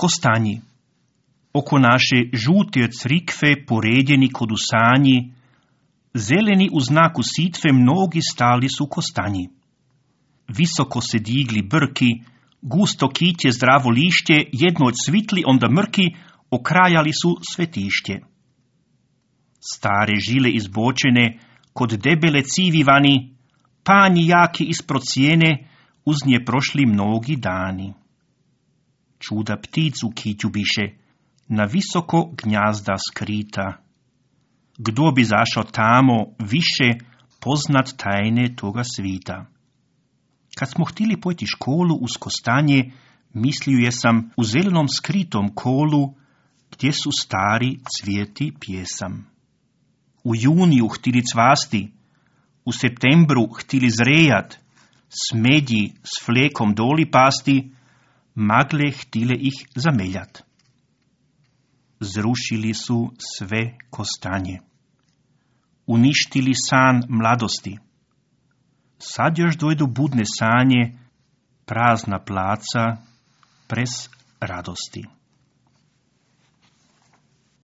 kostanji. Oko naše žute crikve poredjeni kod usanji, zeleni u znaku sitve mnogi stali su kostanji. Visoko se digli brki, gusto kitje zdravo lišće, jedno od svitli onda mrki, okrajali su svetišće. Stare žile izbočene, kod debele civivani, panji jaki ispod cijene, uz nje prošli mnogi dani. Čuda pticu kitju biše, na visoko gnjazda skrita. Kdo bi zašao tamo više poznat tajne toga svita? Kad smo htjeli pojti školu uz kostanje, mislio sam u zelenom skritom kolu, gdje su stari cvijeti pjesam. U juniju htjeli cvasti, u septembru htjeli zrejat, smedji s flekom doli pasti, magle htjele ih zameljat. Zrušili su sve kostanje. Uništili san mladosti. Sad još dojdu budne sanje, prazna placa, prez radosti.